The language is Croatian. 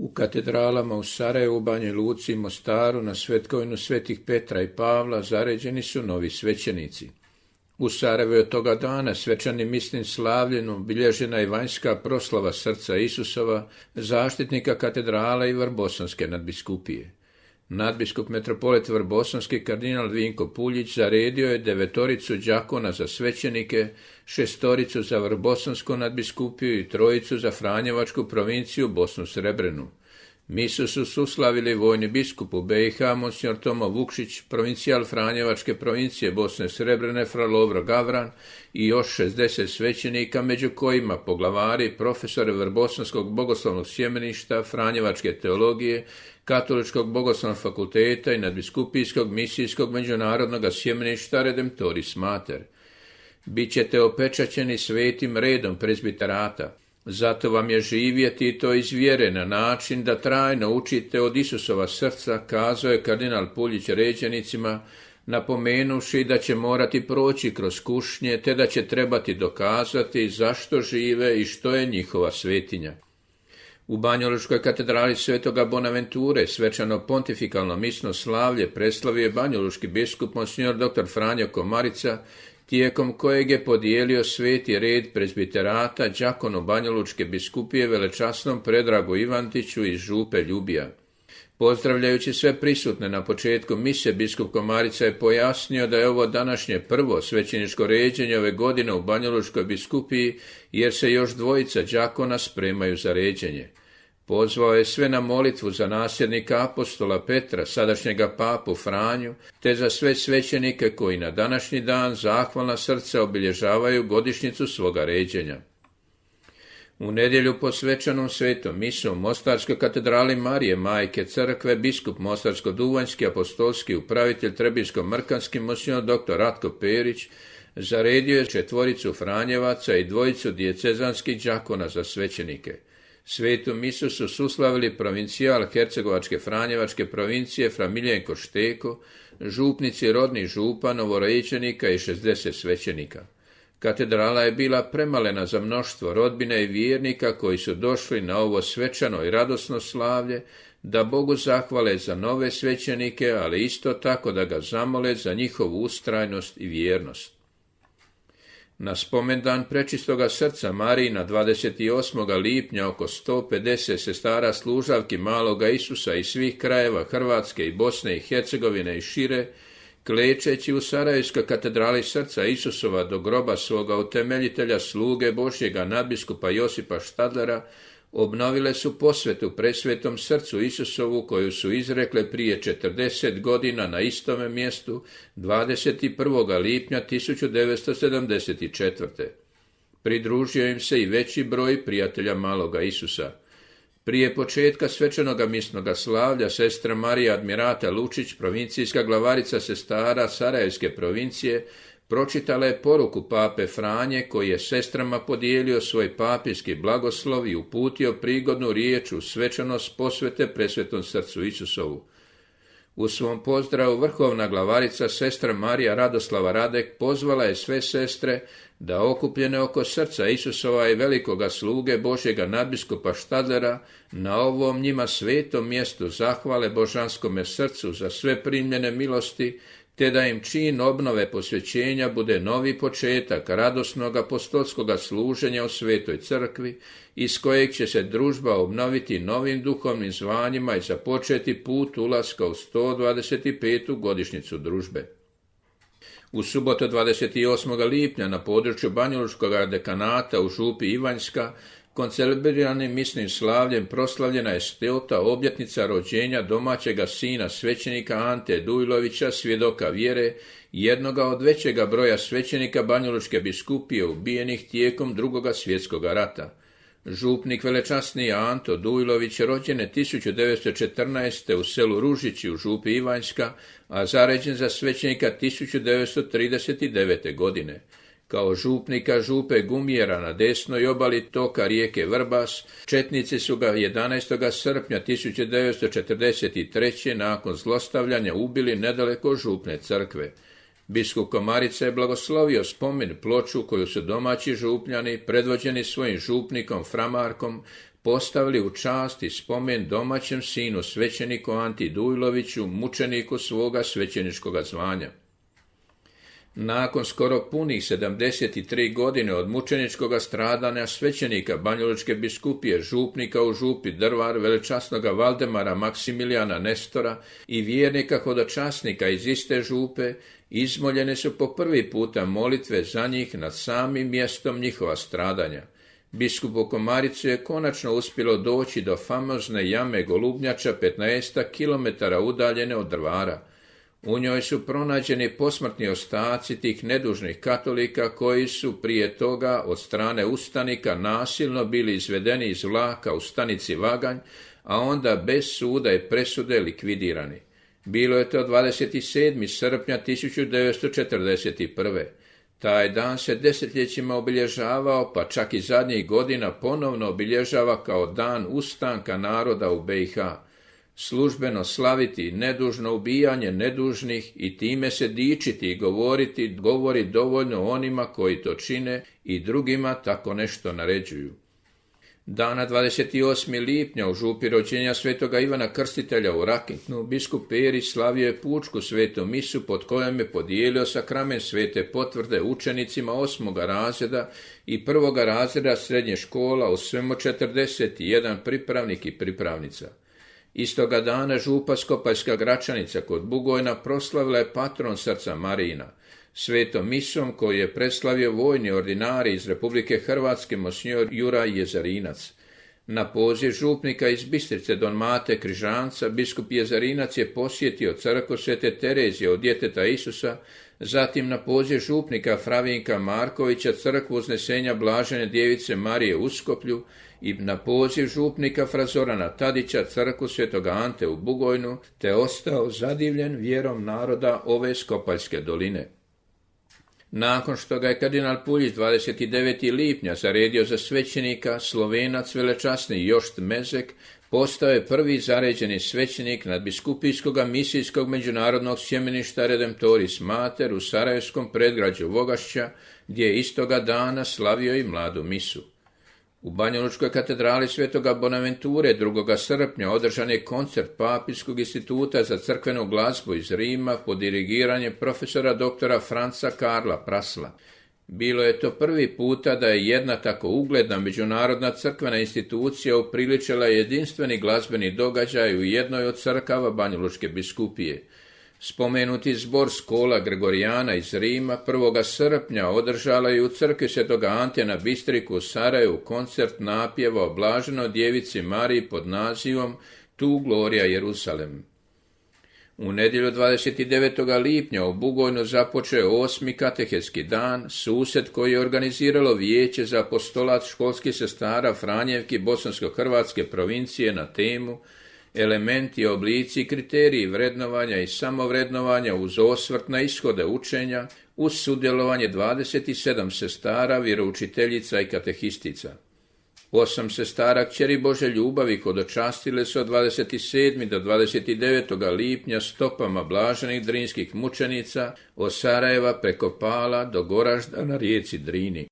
U katedralama u Sarajevu, Banji Luci i Mostaru na svetkovinu svetih Petra i Pavla zaređeni su novi svećenici. U Sarajevu je od toga dana svečanim misnim slavljem obilježena je vanjska proslava srca Isusova, zaštitnika katedrale i Vrbosanske nadbiskupije. Nadbiskup metropolit Vrbosanski kardinal Vinko Puljić zaredio je 9 đakona za svećenike, 6 za Vrbosansku nadbiskupiju i 3 za Franjevačku provinciju Bosnu Srebrenu. Misu su suslavili vojni biskup u BiH monsignor Tomo Vukšić, provincijal Franjevačke provincije Bosne Srebrene fra Lovro Gavran i još 60 svećenika, među kojima poglavari, profesore Vrbosanskog bogoslovnog sjemeništa, Franjevačke teologije, Katoličkog bogoslovnog fakulteta i nadbiskupijskog misijskog međunarodnog sjemeništa Redemptoris Mater. Bićete opečaćeni svetim redom prezbiterata. Zato vam je živjeti i to iz vjere na način da trajno učite od Isusova srca, kazao je kardinal Puljić ređenicima, napomenuši da će morati proći kroz kušnje, te da će trebati dokazati zašto žive i što je njihova svetinja. U Banjalučkoj katedrali Svetoga Bonaventure svečano pontifikalno misno slavlje preslavio je banjalučki biskup monsignor dr. Franjo Komarica, tijekom kojeg je podijelio sveti red prezbiterata đakonu Banjalučke biskupije velečasnom Predragu Ivantiću iz župe Ljubija. Pozdravljajući sve prisutne na početku mise, biskup Komarica je pojasnio da je ovo današnje prvo svećeničko ređenje ove godine u Banjalučkoj biskupiji, jer se još 2 đakona spremaju za ređenje. Pozvao je sve na molitvu za nasljednika apostola Petra, sadašnjega papu Franju, te za sve svećenike koji na današnji dan zahvalna srca obilježavaju godišnjicu svoga ređenja. U nedjelju po svečanom svetom misu u Mostarskoj katedrali Marije Majke Crkve biskup Mostarsko-Duvanjski apostolski upravitelj Trebinsko-Mrkanski monsignor dr. Ratko Perić zaredio je 4 Franjevaca i 2 dijecezanskih đakona za svećenike. Svetu misu su suslavili provincijal Hercegovačke Franjevačke provincije fra Miljenko Šteko, župnici rodnih župa, novorođenika i 60 svećenika. Katedrala je bila premalena za mnoštvo rodbine i vjernika koji su došli na ovo svečano i radosno slavlje, da Bogu zahvale za nove svećenike, ali isto tako da ga zamole za njihovu ustrajnost i vjernost. Na spomendan Prečistoga srca Marijina 28. lipnja oko 150 sestara služavki Maloga Isusa iz svih krajeva Hrvatske i Bosne i Hercegovine i šire, klečeći u Sarajevskoj katedrali srca Isusova do groba svoga utemeljitelja sluge Božjega nadbiskupa Josipa Štadlera, obnovile su posvetu presvetom srcu Isusovu koju su izrekle prije 40 godina na istome mjestu 21. lipnja 1974. Pridružio im se i veći broj prijatelja Maloga Isusa. Prije početka svečanoga misnoga slavlja sestra Marija Admirata Lučić, provincijska glavarica sestara Sarajevske provincije, pročitala je poruku pape Franje koji je sestrama podijelio svoj papijski blagoslov i uputio prigodnu riječ u svečanost posvete presvetom srcu Isusovu. U svom pozdravu vrhovna glavarica sestra Marija Radoslava Radek pozvala je sve sestre da okupljene oko srca Isusova i velikoga sluge Božjega nadbiskupa Štadlera na ovom njima svetom mjestu zahvale božanskome srcu za sve primljene milosti, te da im čin obnove posvećenja bude novi početak radosnog apostolskoga služenja u Svetoj crkvi, iz kojeg će se družba obnoviti novim duhovnim zvanjima i započeti put ulaska u 125. godišnjicu družbe. U subotu 28. lipnja na području Banjalučkog dekanata u župi Ivanjska koncelebrirani misnim slavljem proslavljena je 100. obljetnica rođenja domaćega sina svećenika Ante Dujlovića, svjedoka vjere, jednoga od većega broja svećenika Banjalučke biskupije ubijenih tijekom II. Svjetskog rata. Župnik velečasni Anto Dujlović rođen je 1914. u selu Ružići u župi Ivanjska, a zaređen za svećenika 1939. godine. Kao župnika župe Gumjera na desnoj obali toka rijeke Vrbas, četnici su ga 11. srpnja 1943. nakon zlostavljanja ubili nedaleko župne crkve. Biskup Komarica je blagoslovio spomen ploču koju su domaći župljani, predvođeni svojim župnikom Framarkom, postavili u čast i spomen domaćem sinu svećeniku Anti Dujloviću, mučeniku svoga svećeničkoga zvanja. Nakon skoro punih 73 godine od mučeničkoga stradanja svećenika Banjalučke biskupije, župnika u župi Drvar, velečasnoga Valdemara Maksimilijana Nestora i vjernika hodočasnika iz iste župe, izmoljene su po prvi puta molitve za njih nad samim mjestom njihova stradanja. Biskupu Komaricu je konačno uspjelo doći do famozne jame Golubnjača 15 km udaljene od Drvara. U njoj su pronađeni posmrtni ostaci tih nedužnih katolika koji su prije toga od strane ustanika nasilno bili izvedeni iz vlaka u stanici Vaganj, a onda bez suda i presude likvidirani. Bilo je to 27. srpnja 1941. Taj dan se desetljećima obilježavao, pa čak i zadnjih godina ponovno obilježava kao dan ustanka naroda u BiH. Službeno slaviti nedužno ubijanje nedužnih i time se dičiti i govori dovoljno onima koji to čine i drugima tako nešto naređuju. Dana 28. lipnja u župi rođenja svetoga Ivana Krstitelja u Rakitnu, biskup Perić slavio je pučku svetu misu pod kojom je podijelio sakrament svete potvrde učenicima 8. razreda i 1. razreda srednje škola, u svemu 41 pripravnik i pripravnica. Istoga dana župa Skopaljska Gračanica kod Bugojna proslavila je patron srca Marijina. Svetom misom koju je preslavio vojni ordinari iz Republike Hrvatske monsignor Juraj Jezarinac. Na poziv župnika iz Bistrice don Mate Križanca, biskup Jezarinac je posjetio crkvu Svete Terezije od djeteta Isusa, zatim na poziv župnika Fravinka Markovića crkvu Uznesenja Blažene djevice Marije u Uskoplju i na poziv župnika Frazorana Tadića crkvu Svetoga Ante u Bugojnu, te ostao zadivljen vjerom naroda ove Skopaljske doline. Nakon što ga je kardinal Puljić 29. lipnja zaredio za svećenika, Slovenac velečasni Jošt Mezek postao je prvi zaređeni svećenik nadbiskupijskog misijskog međunarodnog sjemeništa Redemptoris Mater u sarajevskom predgrađu Vogašća, gdje je istoga dana slavio i mladu misu. U Banjalučkoj katedrali Svetoga Bonaventure 2. srpnja održan je koncert Papijskog instituta za crkvenu glazbu iz Rima pod dirigiranjem profesora doktora Franca Karla Prasla. Bilo je to prvi puta da je jedna tako ugledna međunarodna crkvena institucija upriličila jedinstveni glazbeni događaj u jednoj od crkava Banjalučke biskupije. Spomenuti zbor Skola Gregorijana iz Rima 1. srpnja održala je u crkvi Svetoga Ante na Bistriku u Sarajevu koncert napjeva o Blaženoj djevici Mariji pod nazivom Tu Gloria Jerusalem. U nedjelju 29. lipnja u Bugojnu započeo 8. katehetski dan, susret koji je organiziralo Vijeće za apostolat školskih sestara Franjevki Bosansko-Hrvatske provincije na temu Elementi, oblici, kriteriji vrednovanja i samovrednovanja uz osvrt na ishode učenja, uz sudjelovanje 27 sestara, vjeroučiteljica i katehistica. 8 sestara kćeri Bože ljubavi hodočastile su od 27. do 29. lipnja stopama blaženih drinskih mučenica od Sarajeva preko Pala do Goražda na rijeci Drini.